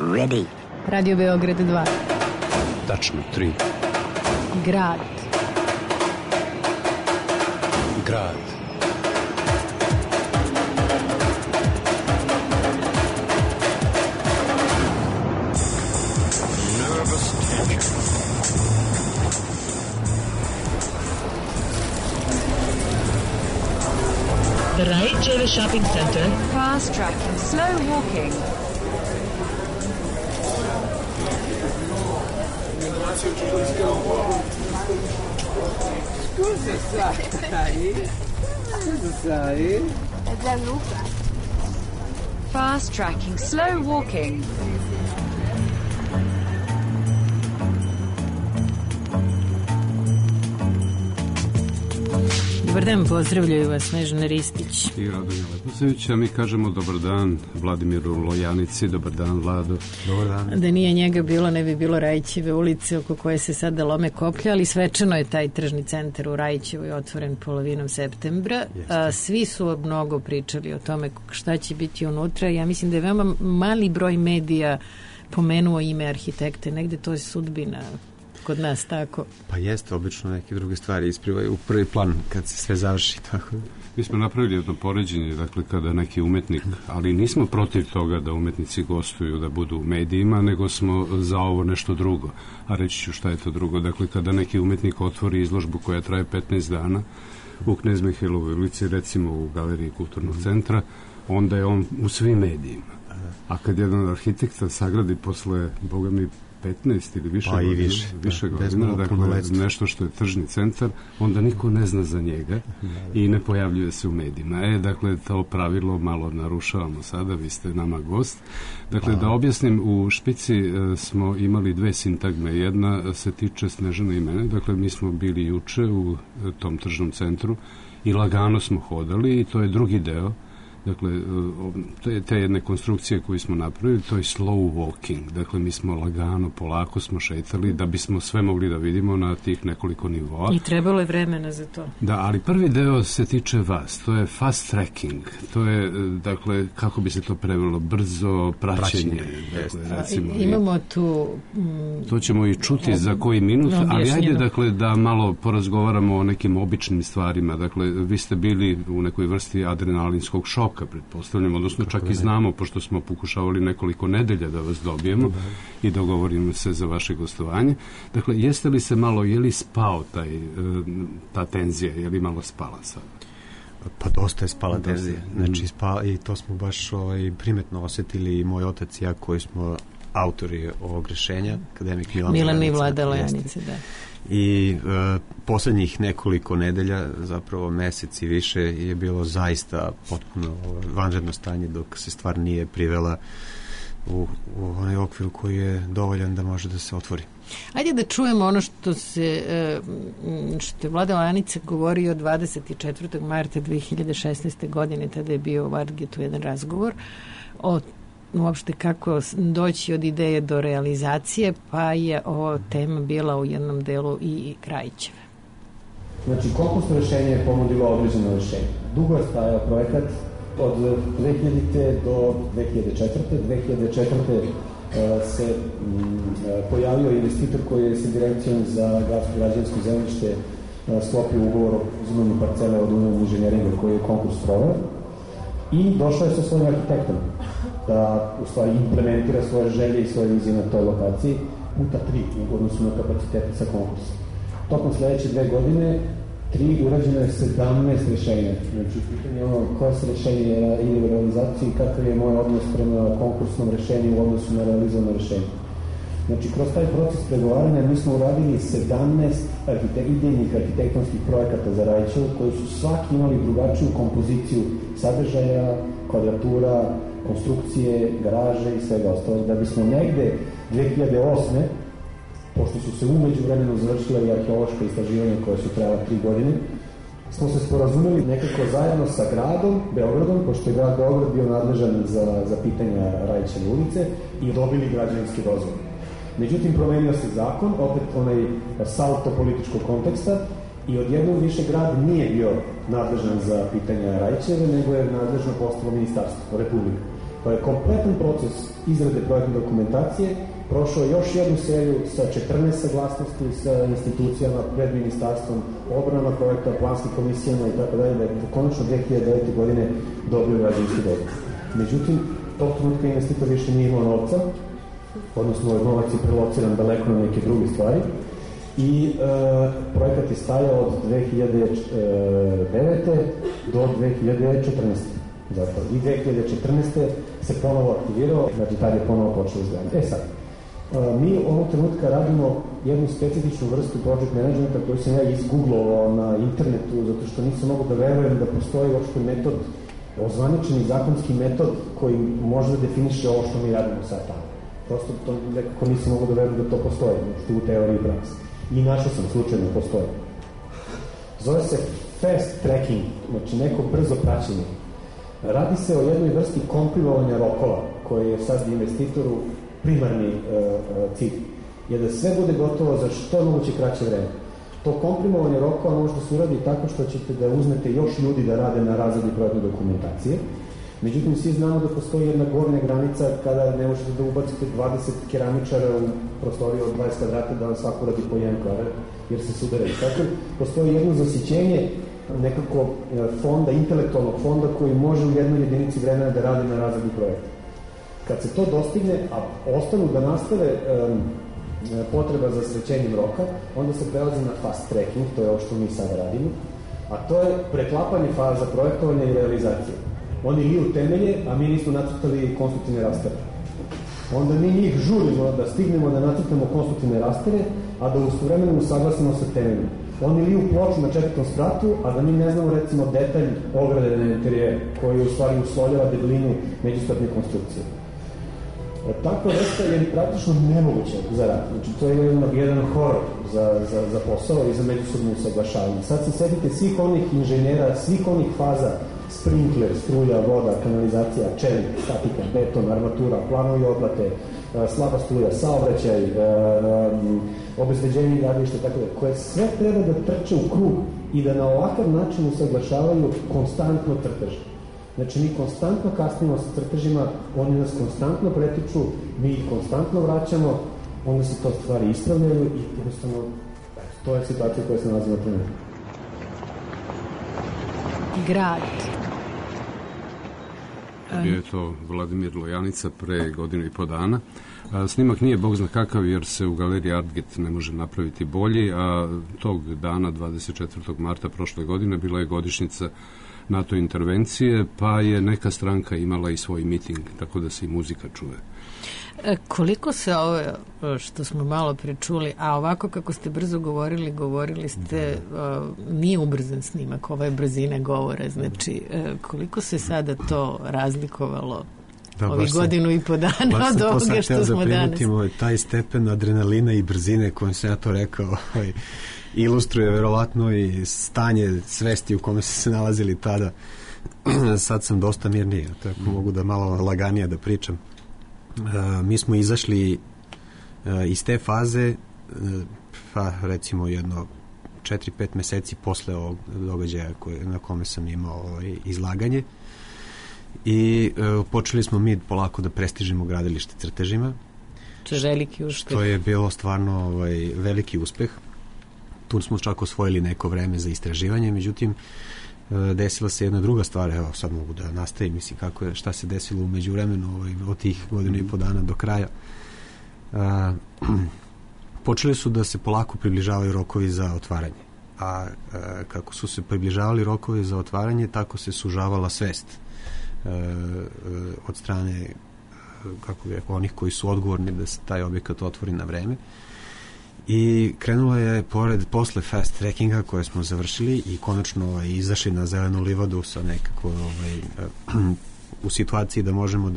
Ready. Radio Beograd 2. Tačno 3. Grad. Grad. Nervous tension. The Raicheve Shopping Center. Fast tracking, slow walking. Scusa, sai? È Gianluca. Fast tracking, slow walking. Dobar dan, pozdravljaju vas Snežana Ristić I Radomir Leposević, a mi kažemo dobar dan Vladimiru Lojanici, dobar dan Vlado. Dobar dan. Da nije njega bilo, ne bi bilo Rajićeve ulice oko koje se sada lome koplja, ali svečano je taj tržni centar u Rajićevoj otvoren polovinom septembra. Svi su mnogo pričali o tome šta će biti unutra. Ja mislim da je veoma mali broj medija pomenuo ime arhitekte, negde to je sudbina kod nas, tako? Pa jeste, obično neke druge stvari isprivaju u prvi plan kad se sve završi, tako. Mi smo napravili jedno poređenje, dakle kada neki umetnik, ali nismo protiv toga da umetnici gostuju, da budu u medijima, nego smo za ovo nešto drugo. A reći ću šta je to drugo. Dakle, kada neki umetnik otvori izložbu koja traje 15 dana u Knez Mihajlovoj ulici, recimo u Galeriji Kulturnog centra, onda je on u svim medijima. A kad jedan arhitekta sagradi posle, boga mi, 15 ili više godina, dakle nešto što je tržni centar, onda niko ne zna za njega i ne pojavljuje se u medijima. Dakle, to pravilo malo narušavamo sada, vi ste nama gost. Dakle, da objasnim, u Špici smo imali dve sintagme. Jedna se tiče Snežane i mene, dakle, mi smo bili juče u tom tržnom centru i lagano smo hodali i to je drugi deo. Dakle, te jedne konstrukcije koje smo napravili, to je slow walking. Dakle, mi smo lagano, polako smo šetali da bismo sve mogli da vidimo na tih nekoliko nivoa. I trebalo je vremena za to. Da, ali prvi deo se tiče vas. To je fast tracking. To je, dakle, kako bi se to prevelo? Brzo praćenje. Dakle, recimo, imamo tu... to ćemo i čuti za koji minut, ali ajde, dakle, da malo porazgovaramo o nekim običnim stvarima. Dakle, vi ste bili u nekoj vrsti adrenalinskog šoka, pretpostavljamo, odnosno čak i znamo, pošto smo pokušavali nekoliko nedelja da vas dobijemo i dogovorimo se za vaše gostovanje. Dakle, jeste li se malo, je li spao ta tenzija, je li malo spala sada? Pa dosta je spala tenzija. Znači, i to smo baš primetno osetili i moj otac i ja koji smo autori ovog rešenja, akademik Milan i Vlada Lojanice, da. I poslednjih nekoliko nedelja, zapravo mesec i više, je bilo zaista potpuno vanredno stanje dok se stvar nije privela u onaj okvir koji je dovoljan da može da se otvori. Ajde da čujemo ono što je Vlada Lajanica govorio 24. marta 2016. godine, tada je bio u Vargetu jedan razgovor o uopšte kako doći od ideje do realizacije, pa je ovo tema bila u jednom delu i Krajićeve. Znači, konkursno rešenje je ponudilo određeno rešenje. Dugo je stajao projekat od 2000. do 2004. 2004. Se pojavio investitor koji je sa direkcijom za gradsko građevinsko zemljište sklopio ugovor o uzimanju parcele od Union inženjeringa koji je konkurs proveo i došao je sa svojim arhitektom da u stvari implementira svoje želje i svoje vizije na toj lokaciji puta 3 u odnosu na kapacitete sa konkursa. Tokom sledeće 2 godine urađeno je 17 rešenja. Znači, pitanje je ono koje se rešenje ide u realizaciji i kakav je moj odnos prema konkursnom rešenju u odnosu na realizovano rešenje. Znači, kroz taj proces pregovaranja mi smo uradili 17 idejnih arhitektonskih projekata za Rajićevu koji su svaki imali drugačiju kompoziciju sadržaja, kvadratura, konstrukcije, garaže i svega ostalog, da bismo negde 2008. pošto su se umeđu vremenu završila i arheološka istraživanja koja su trajala 3 godine, smo se sporazumeli nekako zajedno sa gradom Beogradom, pošto je grad Beograd bio nadležan za pitanja Rajićeve ulice i dobili građevinske dozvole. Međutim, promenio se zakon, opet onaj salto političkog konteksta i odjednom više grad nije bio nadležan za pitanja Rajićeve, nego je nadležno postalo ministarstvo, republika. Pa je kompletan proces izrade projektne dokumentacije prošao još jednu seriju sa 14 saglasnosti sa institucijama pred ministarstvom, obranama projekta, planskim komisijama i tako dalje, da je konačno 2009. godine dobio građevinski dozvolu. Međutim, tog trenutka investitor više nije imao novca, odnosno novac je prelociran daleko na neke druge stvari i projekat je stajao od 2009. do 2014. Zato. I 2014. se ponovo aktivirao, znači tad je ponovo počeo izgledanje. Sad, mi ovog trenutka radimo jednu specifičnu vrstu project managementa koju sam ja izgooglovao na internetu, zato što nisam mogu da verujem da postoji uopšte metod, ozvaničeni zakonski metod koji može da definiše ovo što mi radimo sad tamo. Prosto to nekako nisam mogu da verujem da to postoji, što u teoriji i praksi. I našao sam slučajno postoji. Zove se fast tracking, znači neko brzo praćenje. Radi se o jednoj vrsti komprimovanja rokova, koji je sad investitoru primarni cilj. Je da sve bude gotovo za što moguće kraće vreme. To komprimovanje rokova može da se uradi tako što ćete da uzmete još ljudi da rade na razradi projektne dokumentacije. Međutim, svi znamo da postoji jedna gornja granica kada ne možete da ubacite 20 keramičara u prostoriju od 20 kvadrata da vam svako radi po jedan kvadrat, jer se sudaraju. Tako, postoji jedno zasićenje nekako fonda, intelektualnog fonda koji može u jednoj jedinici vremena da radi na razradi projekta. Kad se to dostigne, a ostanu da nastave potreba za srećenjem roka, onda se prelazi na fast tracking, to je ovo što mi sada radimo, a to je preklapanje faza projektovanja i realizacije. Oni liju temelje, a mi nismo nacrtali konstruktivne rastere. Onda mi njih žurimo da stignemo da nacrtamo konstruktivne rastere, a da ustovremeno usaglasimo sa temeljima. Oni liju ploču na 4. spratu, a da mi ne znamo recimo detalj ograde na interijere, koji u stvari uslovljava debelinu međuspratne konstrukcije. Takva vrsta je praktično nemoguća za rad. Znači, to je jedan horor za posao i za međusobno usaglašavanje. Sad se sedite svih onih inženjera, svih onih faza, sprinkler, struja, voda, kanalizacija, čelik, statika, beton, armatura, planovi oplate, slaba struja, saobraćaj, obezbeđenje gradilišta, tako da, koje sve treba da trče u krug i da na ovakav način usaglašavaju konstantno crteže. Znači, mi konstantno kasnimo sa crtežima, oni nas konstantno pretiču, mi ih konstantno vraćamo, onda se to stvari ispravljaju i jednostavno, to je situacija koja se nalazi na trenutku. Grad. Bio je to Vladimir Lojanica pre godinu i po dana. Snimak nije bog zna kakav jer se u galeriji Artget ne može napraviti bolji, a tog dana, 24. marta prošle godine, bila je godišnjica NATO intervencije, pa je neka stranka imala i svoj miting, tako da se i muzika čuje. Koliko se ovo, što smo malo prečuli, a ovako kako ste brzo govorili ste, nije ubrzan snimak, ove brzine govore, znači koliko se sada to razlikovalo ovih godinu i po dana od ovoga što smo danas? Taj stepen adrenalina i brzine kojim sam ja to rekao, ilustruje verovatno i stanje svesti u kome su se nalazili tada. Sad sam dosta mirniji, tako mogu da malo laganije da pričam. Mi smo izašli iz te faze, pa recimo jedno 4-5 meseci posle ovog događaja na kome sam imao izlaganje i počeli smo mi polako da prestižimo gradilište crtežima. To je veliki uspeh. Što je bilo stvarno veliki uspeh. Tu smo čak osvojili neko vreme za istraživanje, međutim desila se jedna druga stvar, evo sad mogu da nastavim, mislim šta se desilo u međuvremenu od tih godinu i po dana do kraja. Počeli su da se polako približavaju rokovi za otvaranje, a kako su se približavali rokovi za otvaranje, tako se sužavala svest od strane onih koji su odgovorni da se taj objekat otvori na vreme. I krenulo je posle fast trackinga koje smo završili i konačno izašli na zelenu livadu sa nekako u situaciji da možemo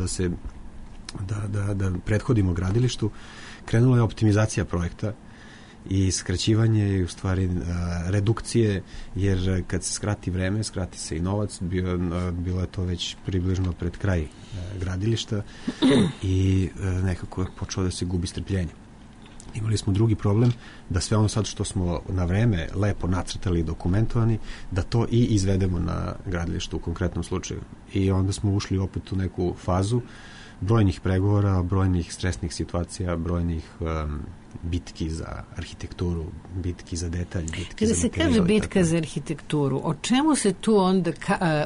da prethodimo gradilištu, krenula je optimizacija projekta i skraćivanje i u stvari redukcije, jer kad se skrati vreme, skrati se i novac, bilo je to već približno pred kraj gradilišta i nekako je počelo da se gubi strpljenje. Imali smo drugi problem, da sve ono sad što smo na vreme lepo nacrtali i dokumentovani, da to i izvedemo na gradilištu u konkretnom slučaju. I onda smo ušli opet u neku fazu brojnih pregovora, brojnih stresnih situacija, brojnih bitki za arhitekturu, bitki za detalj, bitki kada za se kaže bitka za arhitектuru, o čemu se tu onda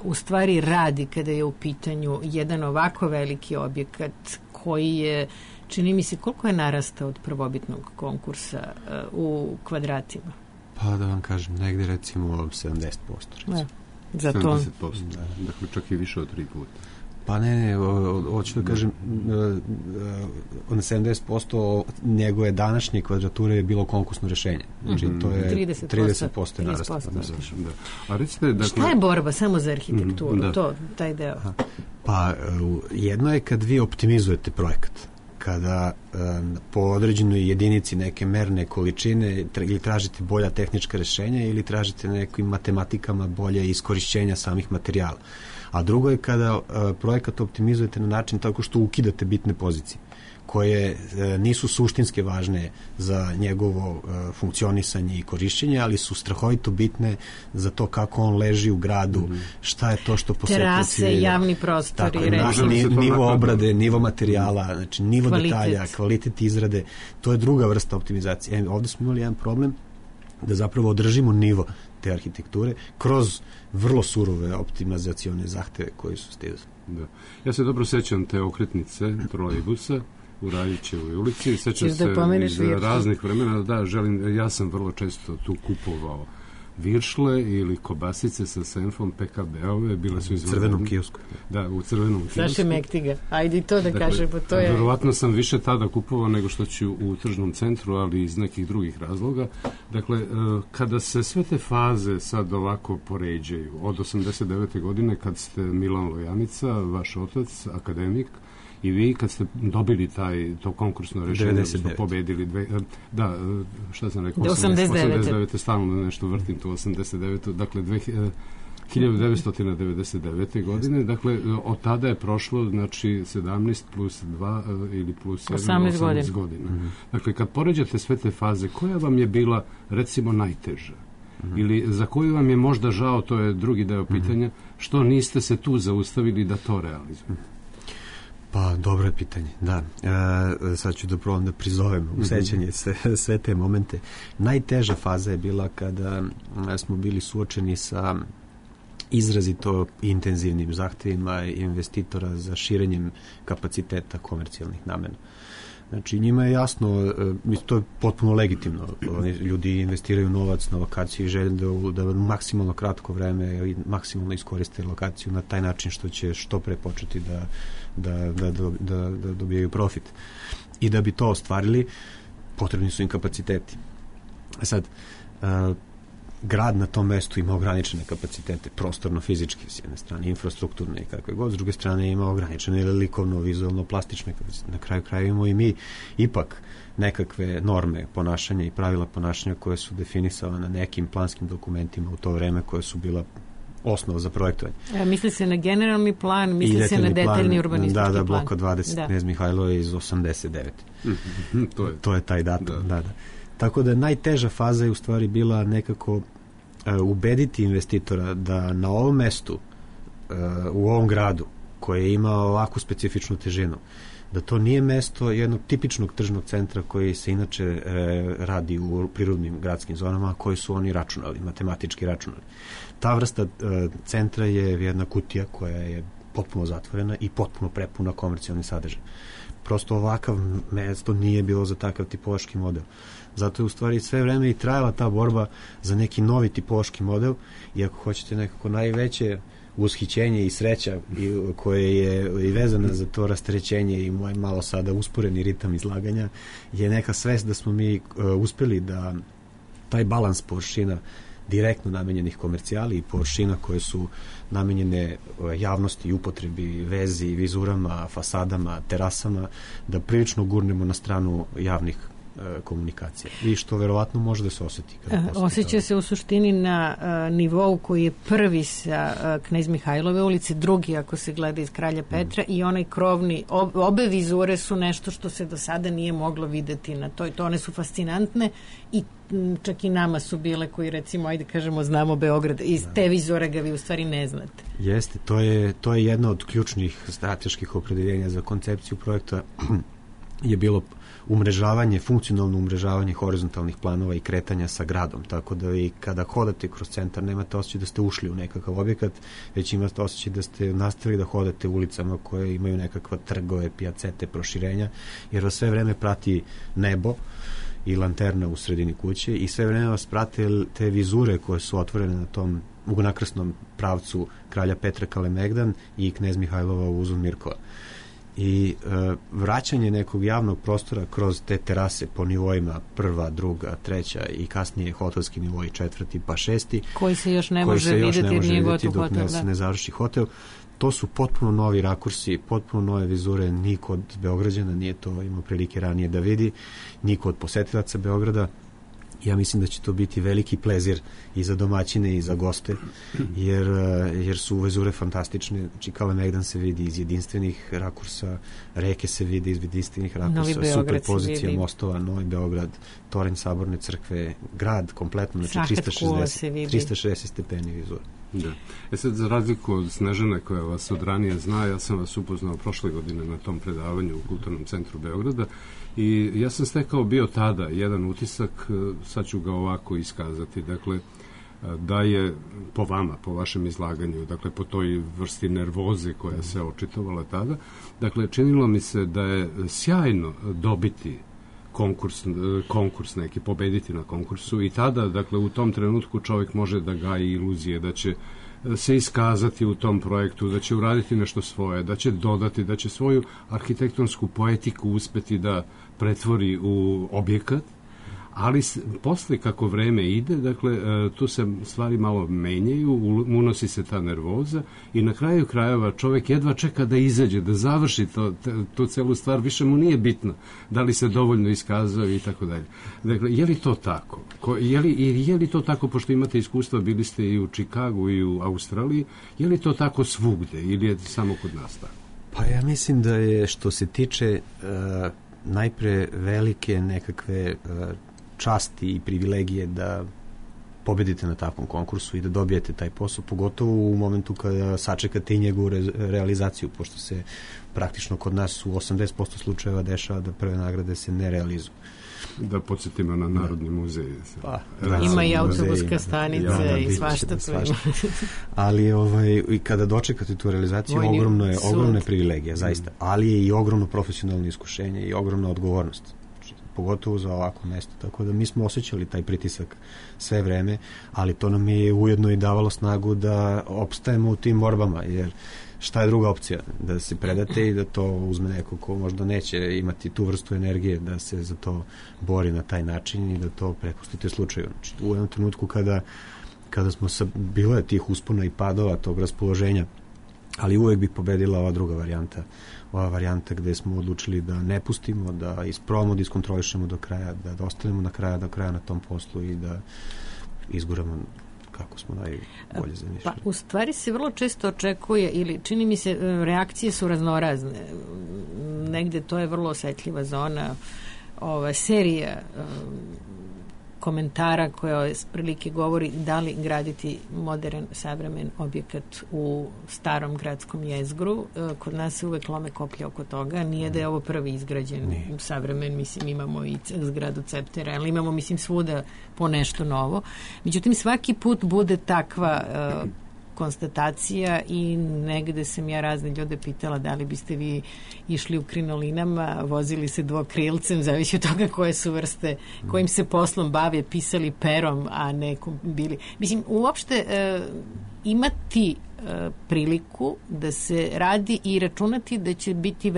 u stvari radi kada je u pitanju jedan ovako veliki objekat koji je, čini mi se, koliko je narastao od prvobitnog konkursa u kvadratima? Pa da vam kažem, negde recimo 70%. Za to. 70%, dakle čak i više od 3 puta. Pa ne, hoću da kažem, na 70% njegove današnje kvadrature je bilo konkursno rešenje. Znači, to je 30% je narastao. Da. A recite, dakle, šta je borba samo za arhitekturu? Taj deo? Pa, jedno je kad vi optimizujete projekat, kada po određenoj jedinici neke merne količine ili tražite bolja tehnička rešenja ili tražite nekim matematikama bolje iskorišćenja samih materijala. A drugo je kada projekat optimizujete na način tako što ukidate bitne pozicije koje nisu suštinske važne za njegovo funkcionisanje i korišćenje, ali su strahovito bitne za to kako on leži u gradu, šta je to što posetioci terase, javni prostori, nivo obrade, nivo materijala, znači nivo detalja, kvalitet izrade, to je druga vrsta optimizacije. Ovde smo imali jedan problem da zapravo održimo nivo te arhitekture kroz vrlo surove optimizacione zahteve koji su stizali. Da. Ja se dobro sećam te okretnice trolejbusa u Radićevoj ulici. Sećam se iz raznih vremena. Da, ja sam vrlo često tu kupovao viršle ili kobasice sa senfom PKB-ove, bile su u crvenom kiosku. Da, u crvenom kiosku. Saše Mektiga, ajde i to da kažemo. To je... Verovatno sam više tada kupovao nego što ću u tržnom centru, ali iz nekih drugih razloga. Dakle, kada se sve te faze sad ovako poređaju, od 89. godine kad ste Milan Lojanica, vaš otac, akademik, i vi kad ste dobili to konkursno rešenje, smo pobedili šta sam rekao, 89. stalno nešto vrtim tu 89. Dakle 1999. godine, dakle od tada je prošlo znači 17 plus 2 ili plus 7, 18 godina. Dakle, kad poređate sve te faze, koja vam je bila recimo najteža? Ili za koju vam je možda žao, to je drugi deo pitanja, što niste se tu zaustavili da to realizujete? Pa, dobro je pitanje, da. Sad ću da probam da prizovem u sećanje sve te momente. Najteža faza je bila kada smo bili suočeni sa izrazito intenzivnim zahtevima investitora za širenjem kapaciteta komercijalnih namena. Znači, njima je jasno, to je potpuno legitimno. Ljudi investiraju novac na lokaciju i žele da maksimalno kratko vreme i maksimalno iskoriste lokaciju na taj način što će što pre početi da dobijaju profit. I da bi to ostvarili, potrebni su im kapaciteti. Sad, grad na tom mestu ima ograničene kapacitete, prostorno-fizičke s jedne strane, infrastrukturne i kakve god, s druge strane ima ograničene likovno, vizualno, plastične kapacitete. Na kraju kraja imamo i mi ipak nekakve norme ponašanja i pravila ponašanja koje su definisala na nekim planskim dokumentima u to vreme koje su bila osnova za projektovanje. Misli se na generalni plan, misli se na detaljni urbanistički plan. Da, bloka 20, Knez Mihajlo je iz 89. To je taj datum, da. Tako da najteža faza je u stvari bila nekako ubediti investitora da na ovom mestu, u ovom gradu, koje ima ovakvu specifičnu težinu, da to nije mesto jednog tipičnog tržnog centra koji se inače radi u prirodnim gradskim zonama, koji su oni računali, matematički računali. Ta vrsta centra je jedna kutija koja je potpuno zatvorena i potpuno prepuna komercijalni sadržaj. Prosto ovakav mesto nije bilo za takav tipološki model. Zato je u stvari sve vreme i trajala ta borba za neki novi tipološki model i ako hoćete nekako najveće ushićenje i sreća koje je i vezana za to rasterećenje i moj malo sada usporeni ritam izlaganja je neka svest da smo mi uspeli da taj balans površina direktno namenjenih komercijali i površina koje su namenjene javnosti i upotrebi, vezi, vizurama, fasadama, terasama, da prilično gurnemo na stranu javnih komunikacija. I što verovatno može da se osjeti. Osjeća se u suštini na nivou koji je prvi sa Knez Mihajlove ulice, drugi ako se gleda iz Kralja Petra i onaj krovni, obe vizure su nešto što se do sada nije moglo videti na toj. To one su fascinantne i čak i nama su bile koji recimo, ajde kažemo, znamo Beograd, iz te vizore ga vi u stvari ne znate. Jeste, to je jedna od ključnih strateških opredeljenja za koncepciju projekta je bilo umrežavanje, funkcionalno umrežavanje horizontalnih planova i kretanja sa gradom, tako da vi kada hodate kroz centar nemate osjećaj da ste ušli u nekakav objekat, već imate osjećaj da ste nastavili da hodate ulicama koje imaju nekakva trgove, pijacete, proširenja, jer vas sve vreme prati nebo i lanterna u sredini kuće i sve vreme vas prate te vizure koje su otvorene na tom ugonakrsnom pravcu Kralja Petra Kalemegdan i Knez Mihajlova Uzun Mirkova. I vraćanje nekog javnog prostora kroz te terase po nivoima prva, druga, treća i kasnije hotelski nivoj, četvrti pa šesti, koji se još ne može vidjeti dok ne završi hotel. To su potpuno novi rakursi, potpuno nove vizure, niko od Beograđana nije to imao prilike ranije da vidi, niko od posetilaca Beograda. Ja mislim da će to biti veliki plezir i za domaćine i za goste, jer su vizure fantastične. Znači, Kalemegdan se vidi iz jedinstvenih rakursa, reke se vidi iz jedinstvenih rakursa, superpozicija mostova, Novi Beograd, toranj Saborne crkve, grad kompletno, znači 360 stepeni vizura. Da. Sad, za razliku od Snežane koja vas od ranije zna, ja sam vas upoznao prošle godine na tom predavanju u Kulturnom centru Beograda i ja sam stekao bio tada jedan utisak, sad ću ga ovako iskazati, dakle, da je po vama, po vašem izlaganju, dakle, po toj vrsti nervoze koja se očitovala tada, dakle, činilo mi se da je sjajno dobiti konkurs neki, pobediti na konkursu i tada, dakle, u tom trenutku čovjek može da gaji iluzije da će se iskazati u tom projektu, da će uraditi nešto svoje, da će dodati, da će svoju arhitektonsku poetiku uspeti da pretvori u objekat, ali posle kako vreme ide, dakle, tu se stvari malo menjaju, unosi se ta nervoza i na kraju krajeva čovjek jedva čeka da izađe, da završi tu celu stvar, više mu nije bitno da li se dovoljno iskazao i tako dalje. Dakle, je li to tako? Je li to tako, pošto imate iskustva, bili ste i u Čikagu i u Australiji, je li to tako svugde ili je samo kod nas tako? Pa ja mislim da je, što se tiče najpre velike nekakve časti i privilegije da pobedite na takvom konkursu i da dobijete taj posao, pogotovo u momentu kada sačekate i njegovu realizaciju, pošto se praktično kod nas u 80% slučajeva dešava da prve nagrade se ne realizuju. Da podsjetimo na Narodni muzej. Ima i autobuska stanica i svašta. Ali i kada dočekate tu realizaciju, ogromna je privilegija, zaista. Ali je i ogromno profesionalno iskušenje i ogromna odgovornost, pogotovo za ovako mesto. Tako da mi smo osjećali taj pritisak sve vreme, ali to nam je ujedno i davalo snagu da opstajemo u tim borbama, jer šta je druga opcija? Da se predate i da to uzme neko ko možda neće imati tu vrstu energije da se za to bori na taj način i da to prepustite slučaju. Znači, u jednom trenutku kada smo bilo je tih uspona i padova, tog raspoloženja, ali uvek bi pobedila ova druga varijanta. Ova varijanta gde smo odlučili da ne pustimo, da isprobamo, da iskontrolišemo do kraja, da ostanemo do kraja na tom poslu i da izguramo kako smo najbolje zamišljali. Pa, u stvari se vrlo često očekuje, ili čini mi se, reakcije su raznorazne. Negde to je vrlo osetljiva zona, serija komentara koja prilike govori da li graditi modern, savremen objekat u starom gradskom jezgru. Kod nas se uvek lome koplja oko toga. Nije da je ovo prvi izgrađen savremen, mislim, imamo i zgradu Ceptera, ali imamo, mislim, svuda po nešto novo. Međutim, svaki put bude takva konstatacija i negde sam ja razne ljude pitala da li biste vi išli u krinolinama, vozili se dvokrilcem, zavisi od toga koje su vrste, kojim se poslom bave, pisali perom, a nekom bili. Mislim, uopšte imati priliku da se radi i računati da će biti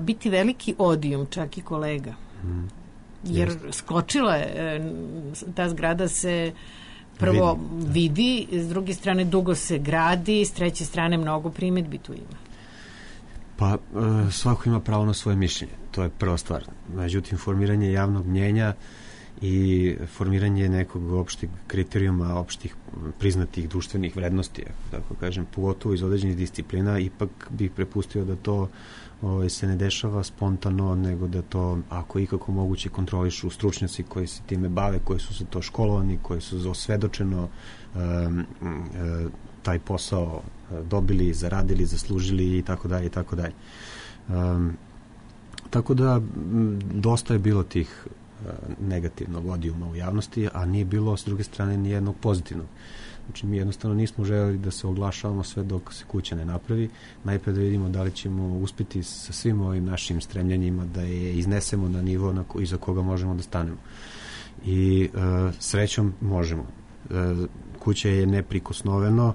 biti veliki odijum, čak i kolega. Jer skočila je, ta zgrada se prvo vidi, s druge strane dugo se gradi, s treće strane mnogo primedbi tu ima. Pa svako ima pravo na svoje mišljenje, to je prva stvar. Međutim, formiranje javnog mnjenja i formiranje nekog opštih kriterijuma, opštih priznatih društvenih vrednosti, tako kažem, pogotovo iz određenih disciplina, ipak bih prepustio da to se ne dešava spontano, nego da to, ako ikako moguće, kontrolišu stručnjaci koji se time bave, koji su za to školovani, koji su osvedočeno taj posao dobili, zaradili, zaslužili i tako dalje i tako dalje. Tako da dosta je bilo tih negativnog odijuma u javnosti, a nije bilo s druge strane ni jednog pozitivnog. Znači, mi jednostavno nismo želeli da se oglašavamo sve dok se kuća ne napravi. Najpre da vidimo da li ćemo uspjeti sa svim ovim našim stremljenjima da je iznesemo na nivo iza koga možemo da stanemo. I srećom možemo. Kuća je neprikosnoveno,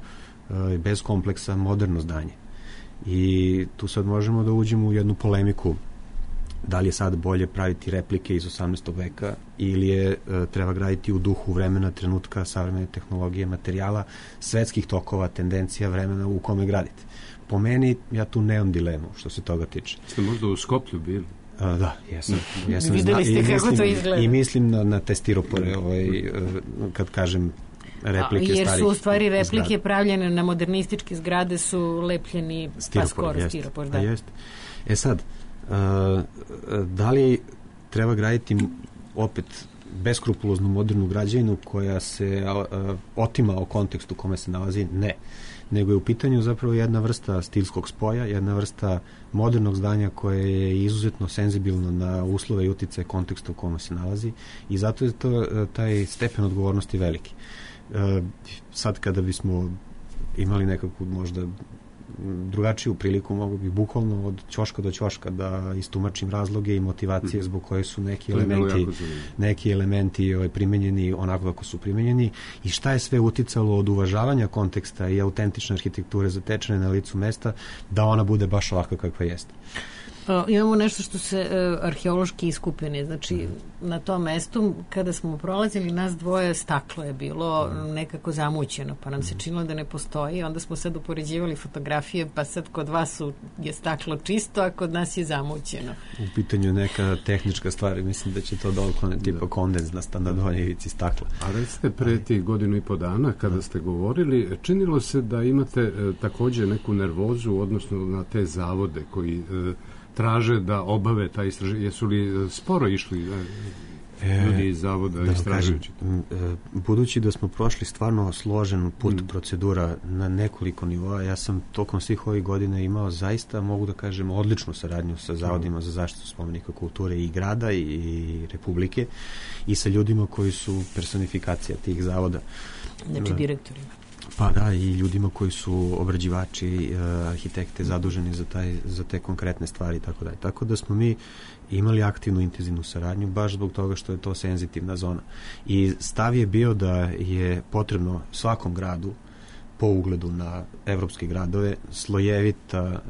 bez kompleksa, moderno zdanje. I tu sad možemo da uđemo u jednu polemiku da li je sad bolje praviti replike iz 18. veka ili je treba graditi u duhu vremena, trenutka, savremene tehnologije, materijala, svetskih tokova, tendencija, vremena u kome gradite. Po meni, ja tu nemam dilemu što se toga tiče. Ste možda u Skoplju bili? Da, jesam. Videli ste kako to izgleda. I mislim na te stiropore, kad kažem replike starih. Jer su u stvari replike zgrade pravljene na modernističke zgrade, su lepljeni pa skoro stiropor. Da. Jeste. Sad, da li treba graditi opet beskrupuloznu modernu građevinu koja se otima o kontekstu u kome se nalazi? Ne. Nego je u pitanju zapravo jedna vrsta stilskog spoja, jedna vrsta modernog zdanja koje je izuzetno senzibilno na uslove i uticaje konteksta u kome se nalazi i zato je taj stepen odgovornosti veliki. Sad kada bismo imali nekakvu možda drugačiju priliku, mogu bi bukvalno od ćoška do ćoška da istumačim razloge i motivacije zbog koje su neki elementi primenjeni onako kako su primenjeni i šta je sve uticalo od uvažavanja konteksta i autentične arhitekture zatečene na licu mesta da ona bude baš ovakva kakva jeste. Imamo nešto što se arheološki iskupine, znači na tom mestu kada smo prolazili nas dvoje, staklo je bilo nekako zamućeno, pa nam se činilo da ne postoji, onda smo sad upoređivali fotografije, pa sad kod vas je staklo čisto, a kod nas je zamućeno. U pitanju neka tehnička stvar, mislim da će to doklone tipa kondens na standardovanoj ivici stakla. A recite, pre tih 1.5 dana kada ste govorili, činilo se da imate takođe neku nervozu odnosno na te zavode koji traže da obave ta istraživanja. Jesu li sporo išli ljudi iz zavoda istražujući? Budući da smo prošli stvarno složen put procedura na nekoliko nivoa, ja sam tokom svih ovih godina imao zaista, mogu da kažem, odličnu saradnju sa zavodima za zaštitu spomenika kulture i grada i Republike i sa ljudima koji su personifikacija tih zavoda. Znači direktorima. Pa da, i ljudima koji su obrađivači, arhitekte zaduženi za te konkretne stvari i tako dalje. Tako da smo mi imali aktivnu intenzivnu saradnju baš zbog toga što je to senzitivna zona. I stav je bio da je potrebno svakom gradu po ugledu na evropske gradove slojevita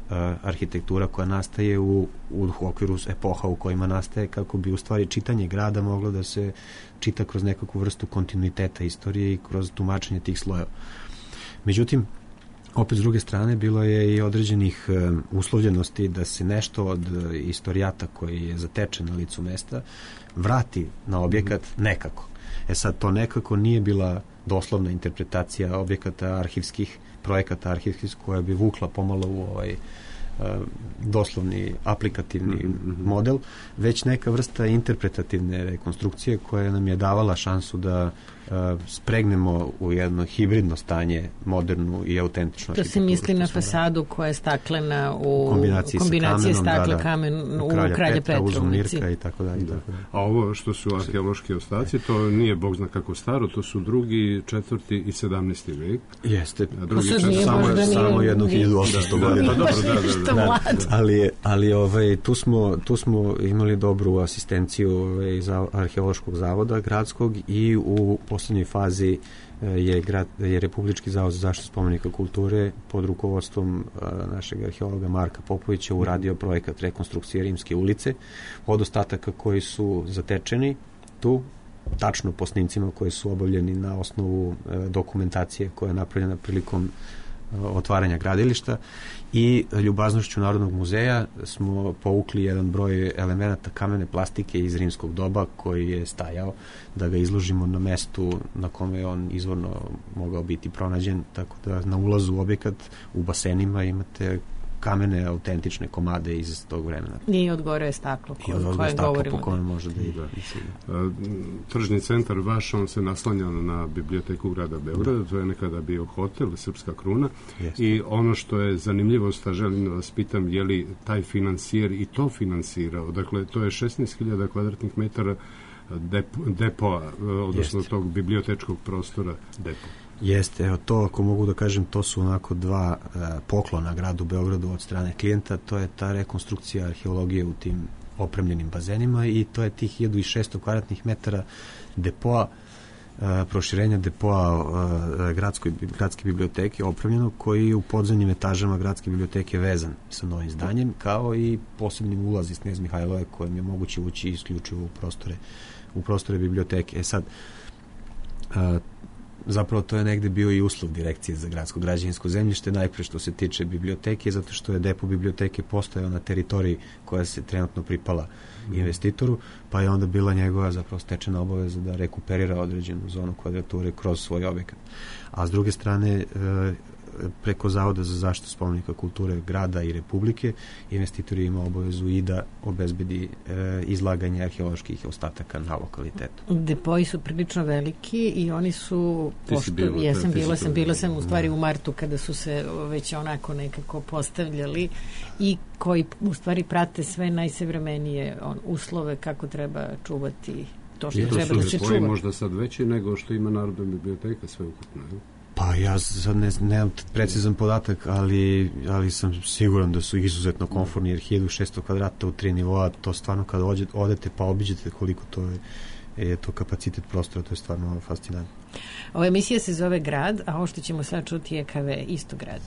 arhitektura koja nastaje u okviru epoha u kojima nastaje kako bi u stvari čitanje grada moglo da se čita kroz nekakvu vrstu kontinuiteta istorije i kroz tumačenje tih slojeva. Međutim, opet s druge strane bilo je i određenih uslovljenosti da se nešto od istorijata koji je zatečen na licu mesta vrati na objekat nekako. Sad, to nekako nije bila doslovna interpretacija objekata arhivskih, projekata arhivskih koja bi vukla pomalo u doslovni aplikativni model, već neka vrsta interpretativne rekonstrukcije koja nam je davala šansu da spregnemo u jedno hibridno stanje, modernu i autentičnu arhitekturu. To se misli na fasadu koja je staklena u kombinaciji stakla-kamen u Kralja Petrovnici. I tako dalje. A ovo što su arheološki ostaci, to nije bog zna kako staro, to su 2., 4. i 17. vek. Jeste. Samo jedno 1800 godina. Ali tu smo imali dobru asistenciju iz arheološkog zavoda gradskog i u poslednjoj fazi je Republički zavod za zaštitu spomenika kulture pod rukovodstvom našeg arheologa Marka Popovića uradio projekat rekonstrukcije Rimske ulice od ostataka koji su zatečeni tu, tačno po snimcima koji su obavljeni na osnovu dokumentacije koja je napravljena prilikom otvaranja gradilišta i ljubaznošću Narodnog muzeja smo povukli jedan broj elemenata kamene plastike iz rimskog doba koji je stajao da ga izložimo na mestu na kome je on izvorno mogao biti pronađen, tako da na ulazu u objekat u basenima imate kamene autentične komade iz tog vremena. I odgore je staklo koje govorimo. Po kome može da ide. Tržni centar vaš, on se naslanja na biblioteku grada Beograda, to je nekada bio hotel, Srpska kruna. Jeste. I ono što je zanimljivost, a želim da vas pitam, je li taj financijer i to finansirao? Dakle, to je 16.000 kvadratnih metara depoa, odnosno Jeste. tog bibliotečkog prostora depo. Jeste, evo to ako mogu da kažem, to su onako dva poklona gradu Beogradu od strane klijenta, to je ta rekonstrukcija arheologije u tim opremljenim bazenima i to je tih 1600 kvadratnih metara depoa, proširenja depoa gradske biblioteke opremljeno, koji je u podzemnim etažama gradske biblioteke vezan sa novim zdanjem, kao i posebnim ulaz iz Knez Mihajlove kojim je moguće ući isključivo u prostore biblioteke. Sad, zapravo to je negde bio i uslov Direkcije za gradsko građevinsko zemljište, najpre što se tiče biblioteke, zato što je depo biblioteke postojao na teritoriji koja se trenutno pripala investitoru, pa je onda bila njegova zapravo stečena obaveza da rekuperira određenu zonu kvadrature kroz svoj objekat. A s druge strane, preko Zavoda za zaštitu spomenika kulture grada i Republike, investitor ima obavezu i da obezbedi izlaganje arheoloških ostataka na lokalitetu. Depoji su prilično veliki i oni su bila sam u stvari u martu kada su se već onako nekako postavljali i koji u stvari prate sve najsavremenije uslove kako treba čuvati to što treba da se čuva. Možda sad veći nego što ima Narodna biblioteka sve ukupno, je? Pa ja sad nemam precizan podatak, ali sam siguran da su izuzetno komfortni, jer 1600 kvadrata u 3 nivoa, to stvarno kada odete pa obiđete koliko to je to kapacitet prostora, to je stvarno fascinantno. Ova emisija se zove Grad, a ovo što ćemo sad čuti je KV Istograd.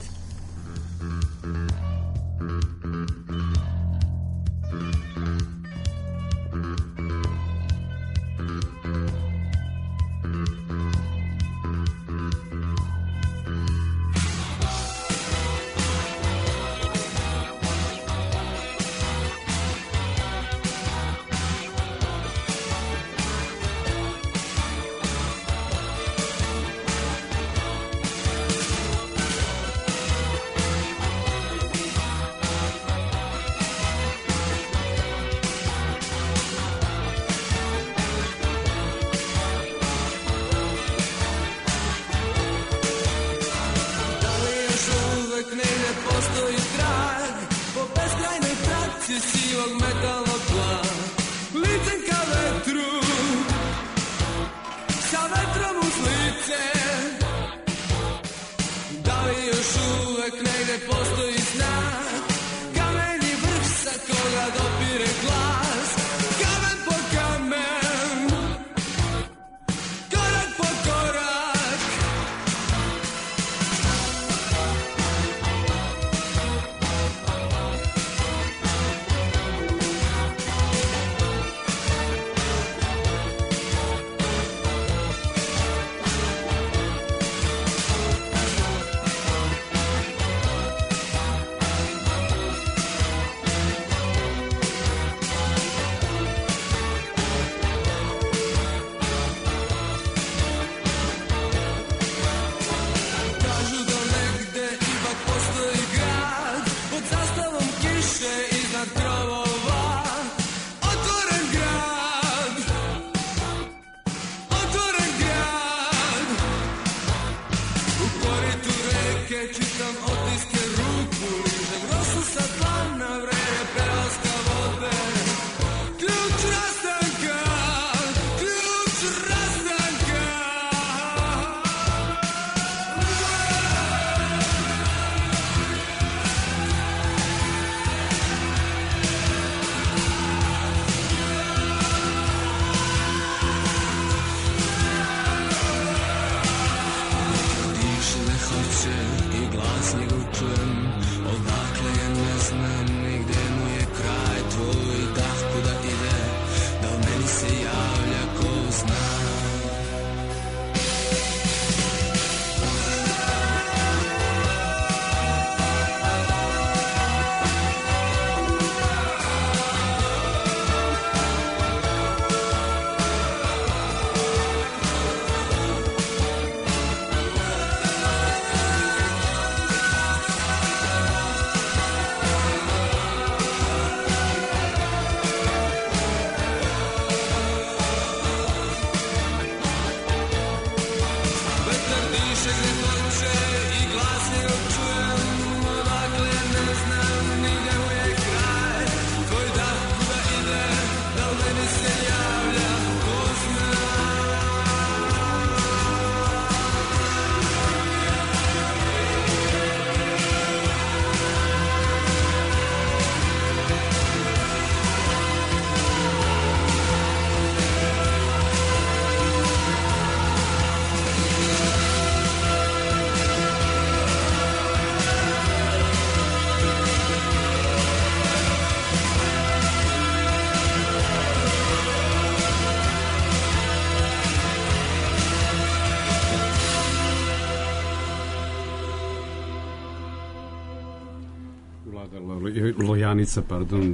Lojanica,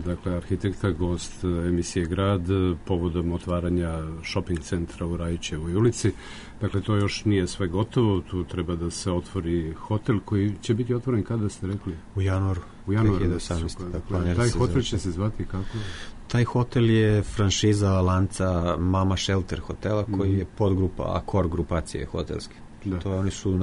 dakle arhitektka, gost emisije Grad povodom otvaranja shopping centra u Rajićevoj ulici. Dakle, to još nije sve gotovo, tu treba da se otvori hotel koji će biti otvoren kada ste rekli? U januaru 2018. Dakle, taj hotel će se zvati kako? Taj hotel je franšiza lanca Mama Shelter hotela koji je podgrupa Accor grupacije hotelske. Da. To oni su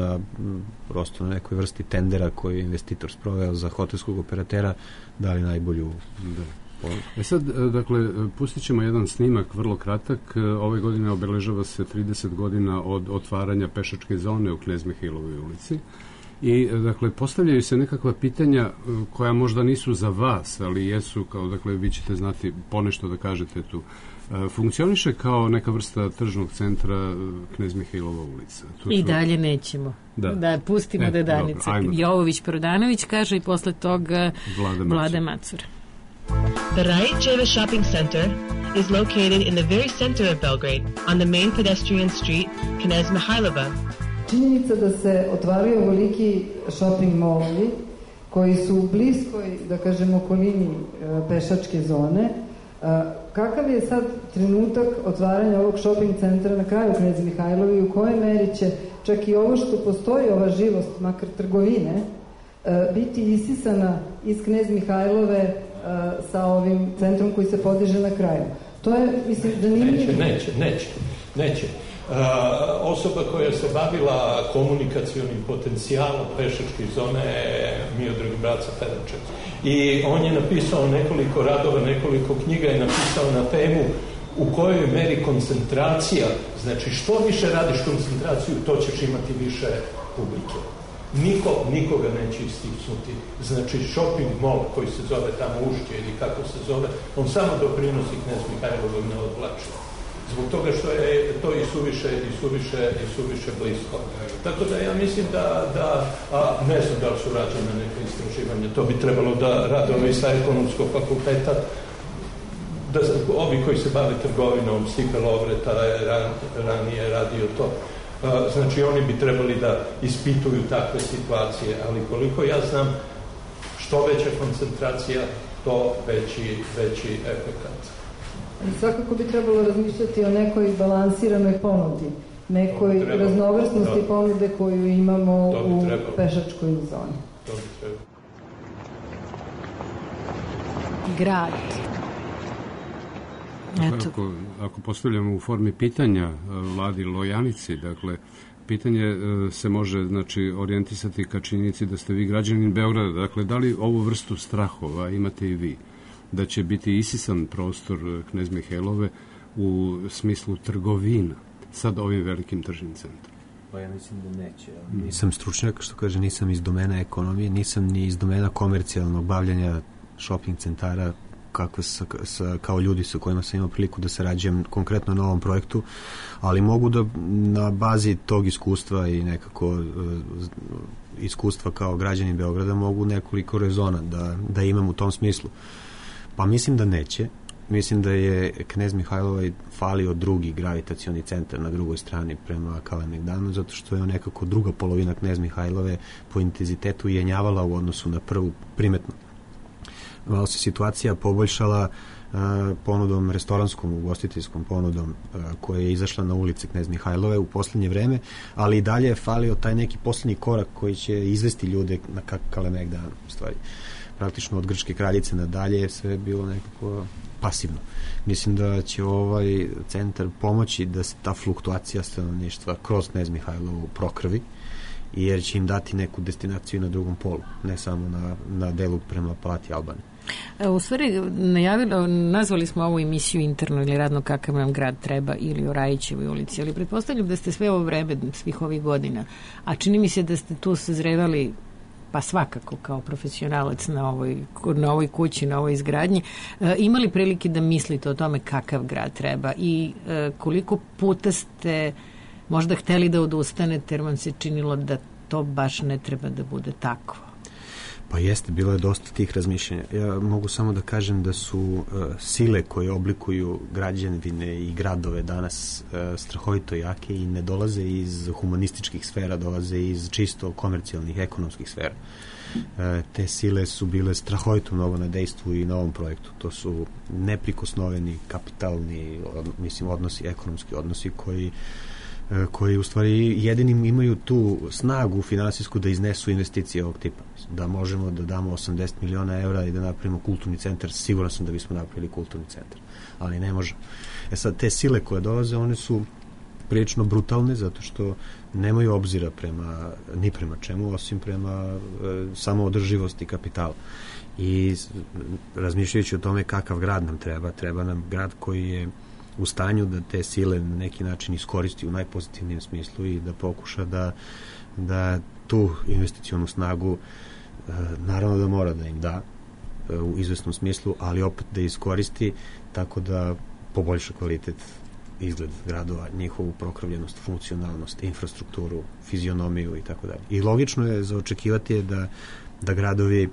prosto na nekoj vrsti tendera koji je investitor sproveo za hotelskog operatera dali najbolju. Da. Sad, dakle, pustit ćemo jedan snimak vrlo kratak. Ove godine obeležava se 30 godina od otvaranja pešačke zone u Knez Mihailovoj ulici. I, dakle, postavljaju se nekakva pitanja koja možda nisu za vas, ali jesu, kao, dakle, vi ćete znati ponešto da kažete tu. Funkcioniše kao neka vrsta tržnog centra Knez Mihailova ulica. I dalje nećemo. Da pustimo da Danica Jovović-Prodanović kaže i posle toga Vlada Macura. The Rajićeve shopping center is located in the very center of Belgrade, on the main pedestrian street, Knez Mihailova. Činjenica da se otvaraju ovoliki shopping molovi koji su u bliskoj, da kažem, okolini pešačke zone. Kakav je sad trenutak otvaranja ovog shopping centra na kraju Knez Mihailovi i u kojoj meri će čak i ovo što postoji, ova živost, makar trgovine, biti isisana iz Knez Mihailove sa ovim centrom koji se podiže na kraju? To je, mislim, zanimljivo. Neće. Osoba koja se bavila komunikacionim potencijalom pešačke zone je Miodrag Braca Feranček. I on je napisao nekoliko radova, nekoliko knjiga je napisao na temu u kojoj meri koncentracija, znači što više radiš koncentraciju, to ćeš imati više publike. Nikoga neće istisnuti. Znači shopping mall koji se zove tamo Ušće ili kako se zove, on samo doprinosi Knez Mihailovog ne odvlači. Zbog toga što je to i suviše blisko. Tako da ja mislim da ne znam da li su rađene neke istraživanja, to bi trebalo da rade ovi sa ekonomskog fakulteta, da ovi koji se bave trgovinom, Stipe Lovreta je ranije radio to. Znači oni bi trebali da ispituju takve situacije, ali koliko ja znam, što veća koncentracija, to veći efekat. Svakako bi trebalo razmišljati o nekoj balansiranoj ponudi, nekoj raznovrsnosti ponude koju imamo u pešačkoj zoni. To bi trebalo. Grad. Ako postavljamo u formi pitanja Vladi Lojanici, dakle, pitanje se može, znači, orijentisati ka činjenici da ste vi građanin Beograda. Dakle, da li ovu vrstu strahova imate i vi? Da će biti isisan prostor Knez Mihailove u smislu trgovina sad ovim velikim tržnim centrom? Pa ja mislim da neće. Nisam stručnjak, što kaže, nisam iz domena ekonomije, nisam ni iz domena komercijalnog bavljanja shopping centara kao ljudi sa kojima sam imao priliku da sarađujem konkretno na ovom projektu, ali mogu da na bazi tog iskustva i nekako iskustva kao građanin Beograda mogu nekoliko rezona da imam u tom smislu. Pa mislim da neće. Mislim da je Knez Mihailovoj falio drugi gravitacioni centar na drugoj strani prema Kalemegdanu, zato što je nekako druga polovina Knez Mihailove po intenzitetu jenjavala u odnosu na prvu primetno. Malo se situacija poboljšala ponudom, restoranskom, ugostiteljskom ponudom koja je izašla na ulici Knez Mihailove u poslednje vreme, ali i dalje je falio taj neki poslednji korak koji će izvesti ljude na Kalemegdan, u stvari. Praktično od Grčke kraljice nadalje je sve bilo nekako pasivno. Mislim da će ovaj centar pomoći da se ta fluktuacija stanovništva kroz Knez Mihailovu prokrvi, jer će im dati neku destinaciju na drugom polu, ne samo na delu prema Palati Albane. U stvari, nazvali smo ovu emisiju interno ili radno kakav nam grad treba ili o Rajićevoj ulici, ali pretpostavljam da ste sve ovo vreme, svih ovih godina, a čini mi se da ste tu sazrevali pa svakako kao profesionalac na ovoj kući, na ovoj izgradnji, imali prilike da mislite o tome kakav grad treba i koliko puta ste možda hteli da odustanete jer vam se činilo da to baš ne treba da bude tako? Pa jeste, bilo je dosta tih razmišljanja. Ja mogu samo da kažem da su sile koje oblikuju građevine i gradove danas strahovito jake i ne dolaze iz humanističkih sfera, dolaze iz čisto komercijalnih, ekonomskih sfera. te sile su bile strahovito mnogo na dejstvu i na ovom projektu. To su neprikosnoveni kapitalni odnosi, ekonomski odnosi koji u stvari jedinim imaju tu snagu finansijsku da iznesu investicije ovog tipa. Da možemo da damo 80 miliona evra i da napravimo kulturni centar, siguran sam da bismo napravili kulturni centar, ali ne možemo. Sad, te sile koje dolaze, one su prilično brutalne, zato što nemaju obzira ni prema čemu, osim prema samoodrživosti kapitala. I razmišljajući o tome kakav grad nam treba nam grad koji je u stanju da te sile na neki način iskoristi u najpozitivnijem smislu i da pokuša da tu investicionu snagu naravno da mora da im da u izvesnom smislu, ali opet da iskoristi tako da poboljša kvalitet, izgled gradova, njihovu prokravljenost, funkcionalnost, infrastrukturu, fizionomiju i tako dalje. I logično je za očekivati je da gradovi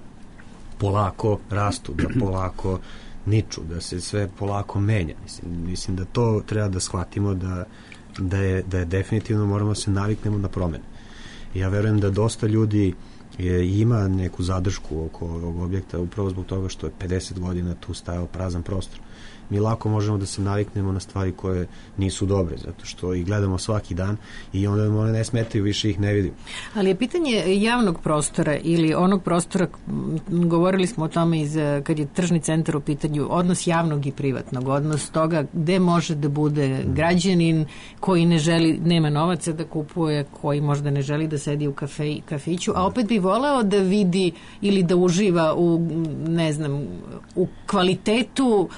polako rastu, da polako niču, da se sve polako menja. Mislim da to treba da shvatimo da je definitivno moramo se naviknemo na promene. Ja verujem da dosta ljudi ima neku zadršku oko ovog objekta upravo zbog toga što je 50 godina tu stajao prazan prostor. Mi lako možemo da se naviknemo na stvari koje nisu dobre, zato što ih gledamo svaki dan i onda one ne smetaju, više ih ne vidimo. Ali je pitanje javnog prostora ili onog prostora, govorili smo o tome kad je tržni centar u pitanju, odnos javnog i privatnog, odnos toga gde može da bude građanin koji ne želi, nema novaca da kupuje, koji možda ne želi da sedi u kafiću, a opet bi voleo da vidi ili da uživa u kvalitetu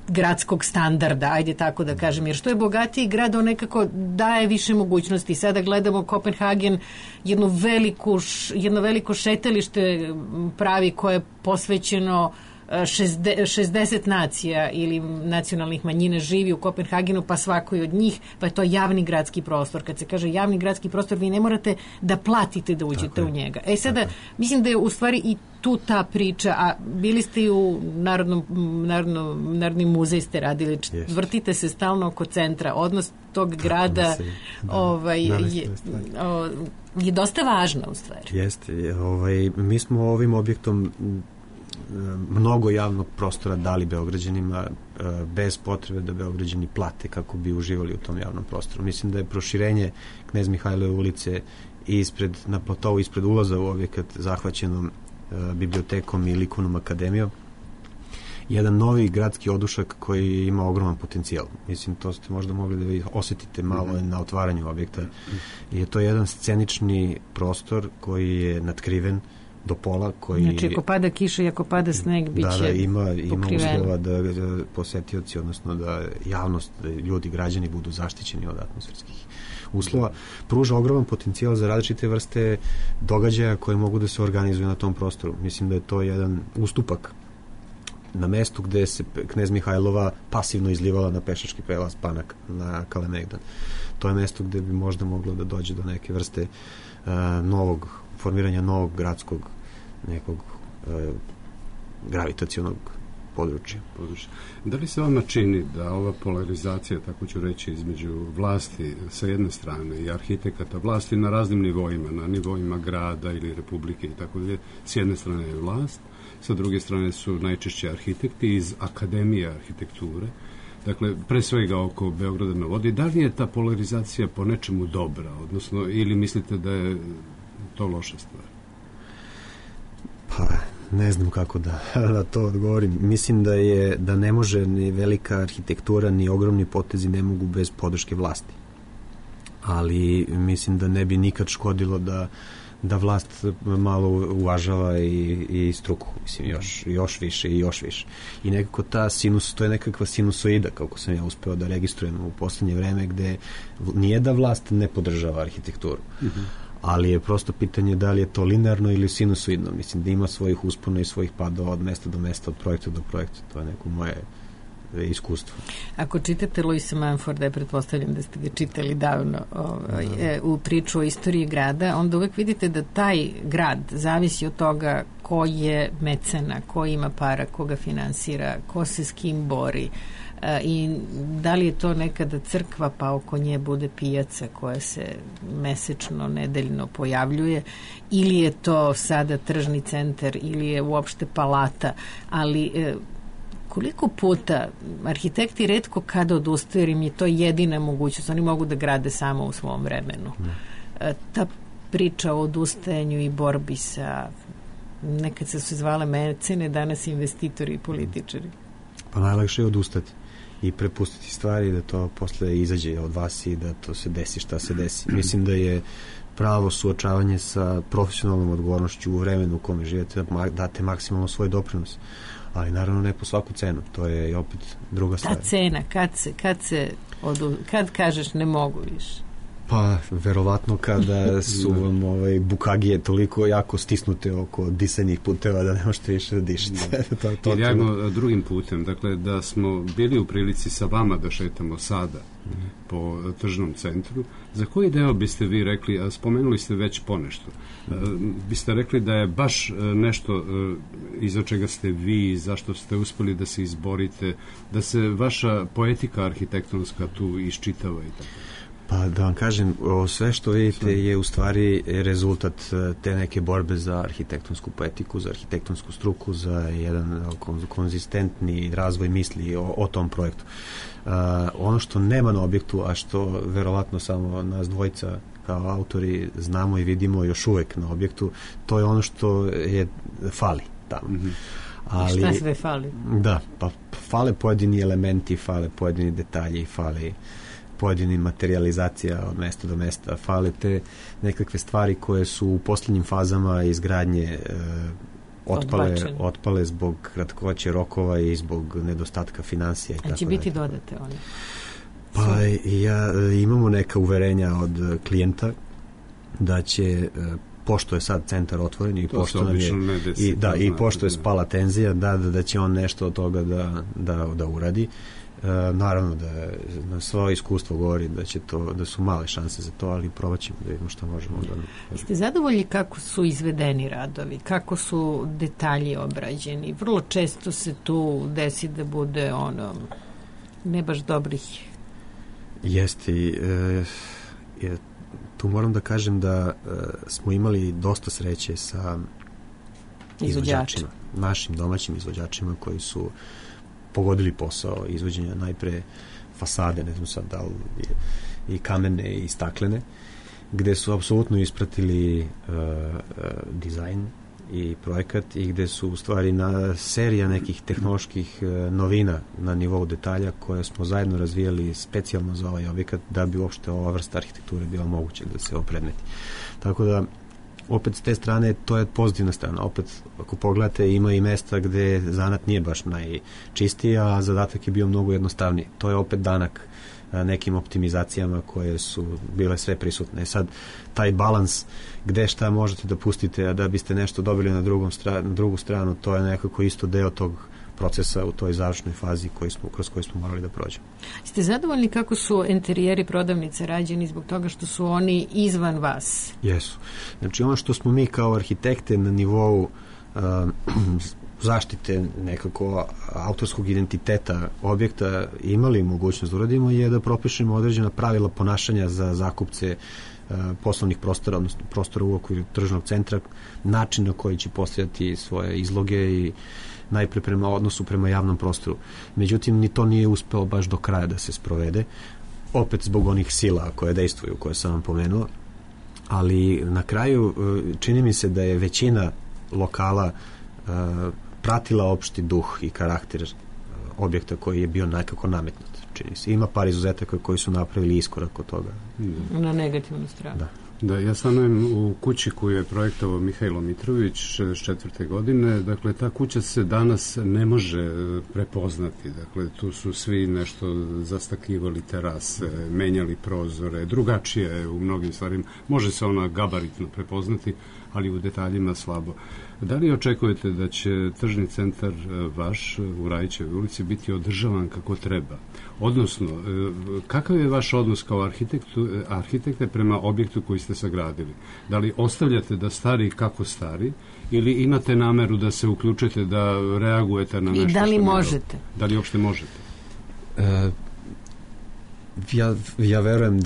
gradskog standarda, ajde tako da kažem, jer što je bogatiji grad, on nekako daje više mogućnosti. Sada gledamo Kopenhagen, jedno veliko šetalište pravi koje je posvećeno 60 nacija ili nacionalnih manjina živi u Kopenhagenu, pa svakoj od njih, pa je to javni gradski prostor. Kad se kaže javni gradski prostor, vi ne morate da platite da uđete u njega. Sada, mislim da je u stvari i tu ta priča, a bili ste i u Narodni muzej ste radili, vrtite se stalno oko centra, odnos tog grada je dosta važna u stvari. Jeste, mi smo ovim objektom mnogo javnog prostora dali Beograđanima bez potrebe da Beograđani plate kako bi uživali u tom javnom prostoru. Mislim da je proširenje Knez Mihajlove ulice na platovu ispred ulaza u objekat zahvaćenom bibliotekom i likovnom akademijom jedan novi gradski odušak koji ima ogroman potencijal. Mislim, to ste možda mogli da vi osetite malo na otvaranju objekta. Je to jedan scenični prostor koji je natkriven do pola, koji... Znači, ako pada kiša i ako pada sneg, bit će ima uslova da posetioci, odnosno da javnost, da ljudi, građani budu zaštićeni od atmosferskih uslova. Pruža ogroman potencijal za različite vrste događaja koje mogu da se organizuju na tom prostoru. Mislim da je to jedan ustupak na mestu gde se Knez Mihajlova pasivno izlivala na pešački prelaz Panak na Kalemegdan. To je mesto gde bi možda moglo da dođe do neke vrste formiranja novog gradskog nekog gravitacionog područja. Da li se vama čini da ova polarizacija, tako ću reći, između vlasti sa jedne strane i arhitekata, vlasti na raznim nivoima, na nivoima grada ili republike i tako dalje, s jedne strane je vlast, sa druge strane su najčešće arhitekti iz Akademije arhitekture, dakle, pre svega oko Beograda na vodi. Da li je ta polarizacija po nečemu dobra, odnosno, ili mislite da je to loša stvar? Pa, ne znam kako da to odgovorim. Mislim da ne može ni velika arhitektura, ni ogromni potezi ne mogu bez podrške vlasti. Ali mislim da ne bi nikad škodilo da vlast malo uvažava i struku, mislim, još više i još više. I nekako to je nekakva sinusoida, kako sam ja uspeo da registrujem u poslednje vreme, gde nije da vlast ne podržava arhitekturu, ali je prosto pitanje da li je to linearno ili sinusoidno. Mislim da ima svojih uspona i svojih padova od mesta do mesta, od projekta do projekta. To je neko moje iskustvo. Ako čitate Louisa Mumforda, pretpostavljam da ste ga čitali davno u priču o istoriji grada, onda uvek vidite da taj grad zavisi od toga ko je mecena, ko ima para, ko ga finansira, ko se s kim bori, i da li je to nekada crkva pa oko nje bude pijaca koja se mesečno, nedeljno pojavljuje, ili je to sada tržni centar, ili je uopšte palata, ali koliko puta arhitekti retko kada odustaju, jer im je to jedina mogućnost, oni mogu da grade samo u svom vremenu. Ta priča o odustajanju i borbi sa, nekad se su zvala mecene, danas investitori i političari. Pa najlakše je odustati i prepustiti stvari da to posle izađe od vas i da to se desi šta se desi. Mislim da je pravo suočavanje sa profesionalnom odgovornošću u vremenu u kome živete, da date maksimalno svoj doprinos. Ali naravno ne po svaku cenu. To je i opet druga stvar. Ta cena, kad kažeš ne mogu više? Pa, verovatno kada su vam bukagije toliko jako stisnute oko disanjih puteva da ne možete više da dišete. Ili ajmo drugim putem, dakle da smo bili u prilici sa vama da šetamo sada po tržnom centru, za koji deo biste vi rekli, a spomenuli ste već ponešto, biste rekli da je baš nešto iza čega ste vi, zašto ste uspeli da se izborite, da se vaša poetika arhitektonska tu iščitava i tako? Pa da vam kažem, sve što vidite je u stvari rezultat te neke borbe za arhitektonsku poetiku, za arhitektonsku struku, za jedan konzistentni razvoj misli o tom projektu. Ono što nema na objektu, a što verovatno samo nas dvojica kao autori znamo i vidimo još uvek na objektu, to je ono što je fali tamo. Ali, šta sve fali? Da, pa fale pojedini elementi, fale pojedini detalji, fali pojedini materializacija od mesta do mesta, fale te nekakve stvari koje su u posljednjim fazama izgradnje otpale zbog kratkoće rokova i zbog nedostatka financija. A će biti dodate one? Pa imamo neka uverenja od klijenta da će, pošto je sad centar otvoren i pošto nam je pošto je spala tenzija, da će on nešto od toga da uradi. Naravno da na svoje iskustvo govori da su male šanse za to, ali probat ćemo da vidimo što možemo da... Ste zadovoljni kako su izvedeni radovi, kako su detalji obrađeni? Vrlo često se tu desi da bude ne baš dobrih. Jeste. Tu moram da kažem da smo imali dosta sreće sa izvođačima, našim domaćim izvođačima koji su pogodili posao izvođenja najpre fasade, ne znam sad da li i kamene i staklene, gde su apsolutno ispratili dizajn i projekat i gde su u stvari serija nekih tehnoloških novina na nivou detalja koje smo zajedno razvijali specijalno za ovaj objekat da bi uopšte ova vrsta arhitekture bila moguće da se opredmeti. Tako da opet s te strane to je pozitivna strana. Opet ako pogledate ima i mesta gde zanat nije baš najčistiji, a zadatak je bio mnogo jednostavniji. To je opet danak nekim optimizacijama koje su bile sve prisutne. Sad taj balans gde šta možete da pustite, a da biste nešto dobili na drugu stranu, to je nekako isto deo tog procesa u toj završnoj fazi kroz koju smo morali da prođemo. Ste zadovoljni kako su interijeri prodavnice rađeni zbog toga što su oni izvan vas? Jesu. Znači ono što smo mi kao arhitekte na nivou zaštite nekako autorskog identiteta objekta imali mogućnost da uradimo je da propišemo određena pravila ponašanja za zakupce poslovnih prostora, odnosno prostora u okviru tržnog centra, način na koji će postavljati svoje izloge i najpre prema odnosu prema javnom prostoru. Međutim, ni to nije uspeo baš do kraja da se sprovede, opet zbog onih sila koje dejstvuju, koje sam vam pomenuo, ali na kraju čini mi se da je većina lokala pratila opšti duh i karakter objekta koji je bio nekako nametnut, čini se. Ima par izuzetaka koji su napravili iskorak od toga. Na negativnu stranu. Da, ja stanujem u kući koju je projektovao Mihajlo Mitrović 64. godine. Dakle, ta kuća se danas ne može prepoznati. Dakle, tu su svi nešto zastakivali terase, menjali prozore, drugačije u mnogim stvarima. Može se ona gabaritno prepoznati, ali u detaljima slabo. Da li očekujete da će tržni centar vaš u Rajićevoj ulici biti održavan kako treba? Odnosno, kakav je vaš odnos kao arhitekte prema objektu koji ste sagradili? Da li ostavljate da stari kako stari ili imate nameru da se uključite, da reagujete na nešto? I da li možete? Da li uopšte možete? Ja verujem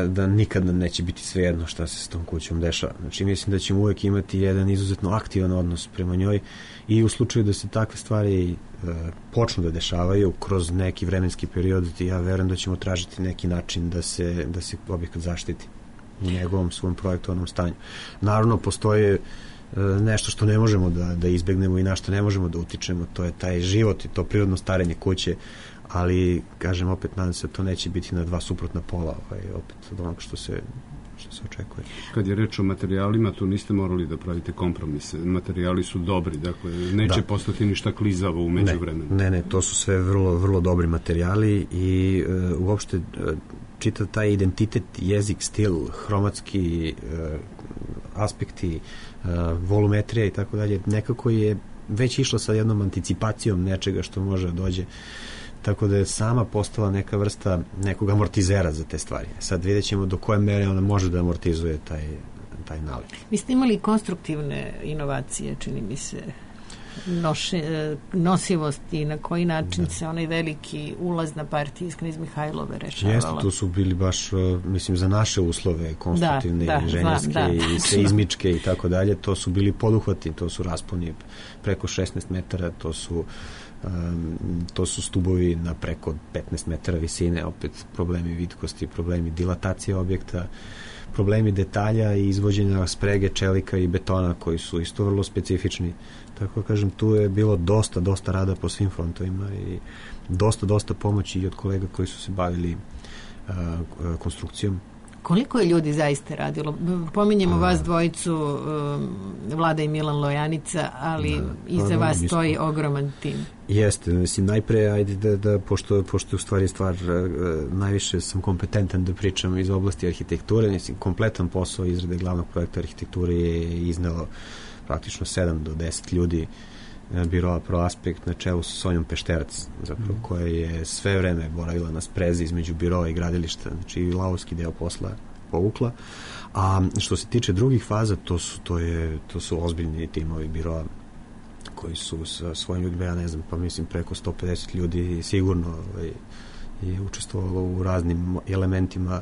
da nikada neće biti svejedno šta se s tom kućom dešava. Znači, mislim da ćemo uvek imati jedan izuzetno aktivan odnos prema njoj i u slučaju da se takve stvari počnu da dešavaju kroz neki vremenski period, ja verujem da ćemo tražiti neki način da se objekat zaštiti u njegovom svom projektovanom stanju. Naravno, postoje nešto što ne možemo da izbegnemo i na što ne možemo da utičemo, to je taj život i to prirodno starenje kuće, ali, kažem, opet nadam se da to neće biti na dva suprotna pola, opet od onog što se očekuje. Kad je reč o materijalima, tu niste morali da pravite kompromise. Materijali su dobri, dakle, neće postati ništa klizavo u međuvremenu. Ne, to su sve vrlo, vrlo dobri materijali i uopšte čitav taj identitet, jezik, stil, hromatski aspekti, volumetrija i tako dalje, nekako je već išlo sa jednom anticipacijom nečega što može da dođe, tako da je sama postala neka vrsta nekog amortizera za te stvari. Sad vidjet ćemo do koje mere ona može da amortizuje taj nalik. Vi ste imali konstruktivne inovacije, čini mi se, nosivosti i na koji način se onaj veliki ulaz na partiji iz Knez Mihajlove rešavala. Jeste, to su bili baš, mislim, za naše uslove konstruktivne, inženjerske i seizmičke i tako dalje, to su bili poduhvati, to su rasponi preko 16 metara, to su stubovi na preko 15 metara visine, opet problemi vitkosti, problemi dilatacije objekta, problemi detalja i izvođenja sprege, čelika i betona koji su isto vrlo specifični. Tako kažem, tu je bilo dosta rada po svim frontovima i dosta pomoći i od kolega koji su se bavili konstrukcijom. Koliko je ljudi zaista radilo? Pominjemo vas dvojicu, Vlada i Milan Lojanica, ali iza vas stoji ogroman tim. Jeste, mislim, najpre, ajde da pošto je u stvari stvar, najviše sam kompetentan da pričam iz oblasti arhitekture, mislim, kompletan posao izrade glavnog projekta arhitekture je iznelo praktično 7 do 10 ljudi biroa ProAspekt na čelu sa Sonjom Pešterac, zapravo, koja je sve vreme boravila na sprezi između biroa i gradilišta, znači i lavovski deo posla povukla. A što se tiče drugih faza, to su ozbiljni timovi biroa koji su sa svojim ljudima, ja ne znam, pa mislim preko 150 ljudi sigurno je učestvovalo u raznim elementima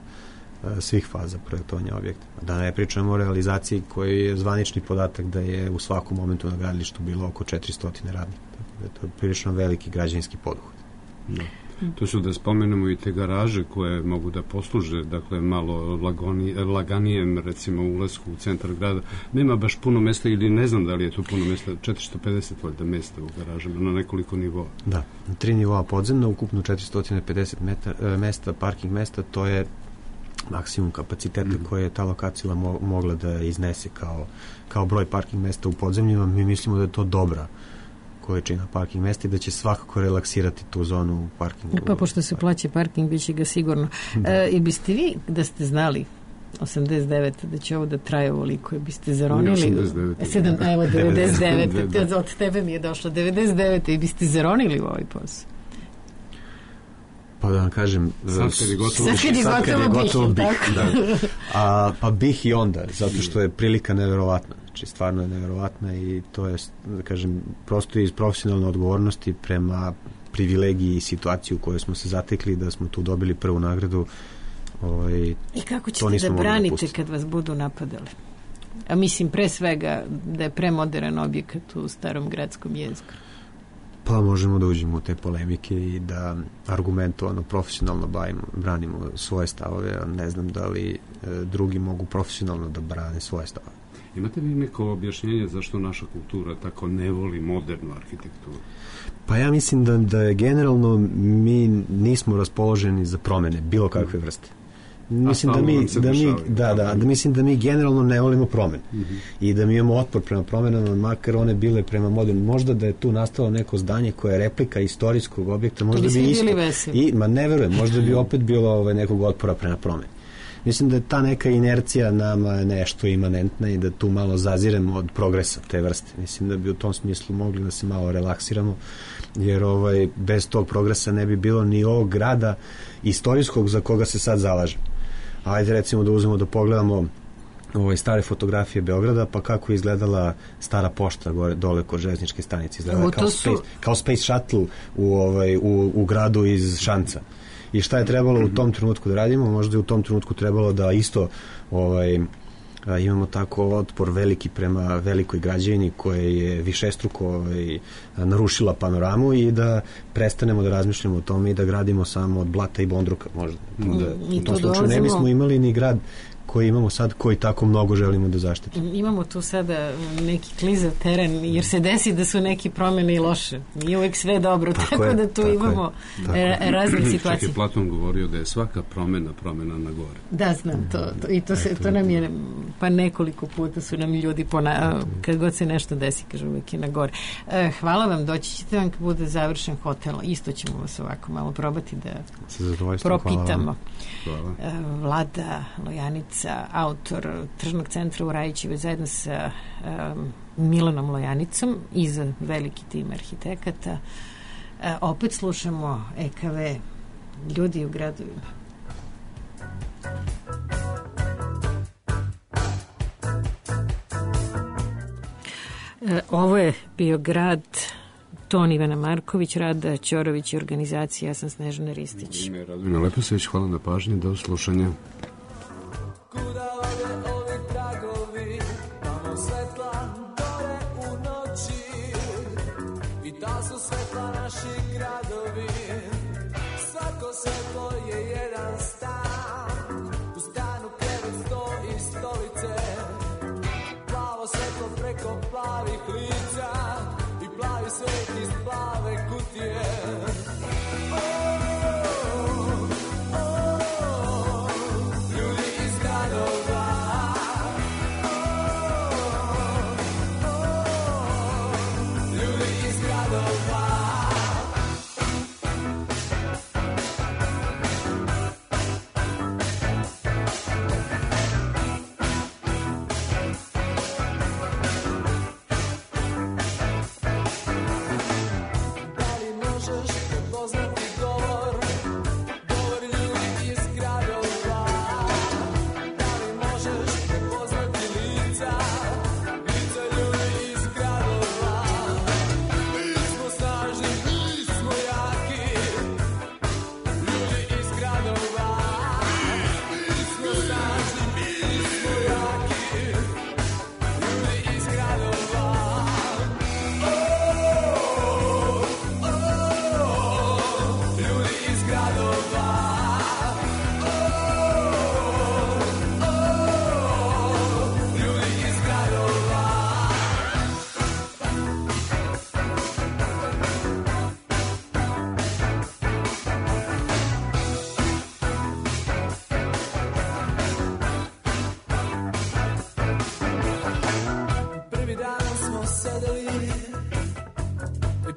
svih faza projektovanja objekta. Da ne pričamo o realizaciji koji je zvanični podatak da je u svakom momentu na gradilištu bilo oko 400 radnika. Tako da je to prilično veliki građevinski poduhvat. Da. Tu su, da spomenemo, i te garaže koje mogu da posluže, dakle, malo laganijem, recimo, ulasku u centar grada. Nema baš puno mesta, ili ne znam da li je tu puno mesta, 450 valjda mesta u garažama, na nekoliko nivoa. Da, 3 nivoa podzemno, ukupno 450 mesta, parking mesta, to je maksimum kapaciteta koje je ta lokacija mogla da iznese kao broj parking mesta u podzemljima. Mi mislimo da je to dobra količina parking mesta i da će svakako relaksirati tu zonu u parkingu. Pa pošto se plaća parking, bit će ga sigurno. I biste vi, da ste znali 89. da će ovo da traje ovoliko, biste zaronili 89. Evo 99. Od tebe mi je došlo 99. i biste zaronili u ovaj posao. Pa da vam kažem, sad kad je gotovo bih. Pa bih i onda, zato što je prilika neverovatna. Znači, stvarno je neverovatna i to je, da kažem, prosto iz profesionalne odgovornosti prema privilegiji i situaciju u kojoj smo se zatekli, da smo tu dobili prvu nagradu. I kako ćete da branite kad vas budu napadali? A mislim, pre svega, da je premodern objekat u starom gradskom jezgru. Pa možemo da uđemo u te polemike i da argumentovano, profesionalno branimo svoje stavove, a ne znam da li drugi mogu profesionalno da brane svoje stavove. Imate li neko objašnjenje zašto naša kultura tako ne voli modernu arhitekturu? Pa ja mislim da je generalno mi nismo raspoloženi za promene bilo kakve vrste. Mislim mislim da mi generalno ne volimo promene i da mi imamo otpor prema promenama, makar one bile prema modernu. Možda da je tu nastalo neko zdanje koje je replika istorijskog objekta, možda bi isto. Ne verujem, možda bi opet bilo nekog otpora prema promeni. mislim da je ta neka inercija nama nešto imanentna i da tu malo zaziremo od progresa te vrste. Mislim da bi u tom smislu mogli da se malo relaksiramo, jer bez tog progresa ne bi bilo ni ovog grada istorijskog za koga se sad zalaže. Ajde recimo da uzmemo da pogledamo stare fotografije Beograda, pa kako je izgledala stara pošta dole kod železničke stanice. Izgledala kao Space Shuttle u gradu iz Šanca. I šta je trebalo u tom trenutku da radimo? Možda je u tom trenutku trebalo da isto imamo tako otpor veliki prema velikoj građevini koja je višestruko narušila panoramu i da prestanemo da razmišljamo o tome i da gradimo samo od blata i bondruka možda. U tom slučaju ne bismo imali ni grad koji imamo sad, koji tako mnogo želimo da zaštitimo. Imamo tu sada neki klizav teren, jer se desi da su neki promene i loše. Nije uvek sve dobro, tako da tu imamo razne situacije. Čak je Platon govorio da je svaka promena na gore. Da, znam to. I to nam je, pa nekoliko puta su nam ljudi kad god se nešto desi, kažu uvek je na gore. Hvala vam, doći ćete vam kad bude završen hotel. Isto ćemo vas ovako malo probati da propitamo. Hvala. Vlada Lojanica, autor Tržnog centra u Rajićevoj, zajedno sa Milanom Lojanicom i za veliki tim arhitekata. Opet slušamo EKV, ljudi u gradovima. Ovo je bio grad, ton Ivana Marković, Rada Ćorović i organizacija, ja sam Snežana Ristić. Ime Radovina Leposević, hvala na pažnji, do slušanja. Kuda ode ovi tragovi, tamo svetla dole u noći, i ta su svetla naši gradovi, svako svetlo je jedan stan, u stanu krevet, sto i stolice, plavo svetlo preko plavih lica i plavi svet iz plave kutije.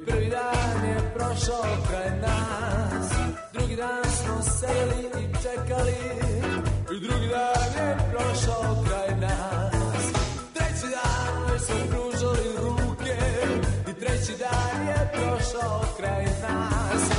Prvi dan je prošao kraj nas, drugi dan smo sedeli i čekali, i drugi dan je prošao kraj nas. Treći dan već smo pružali ruke, i treći dan je prošao kraj nas.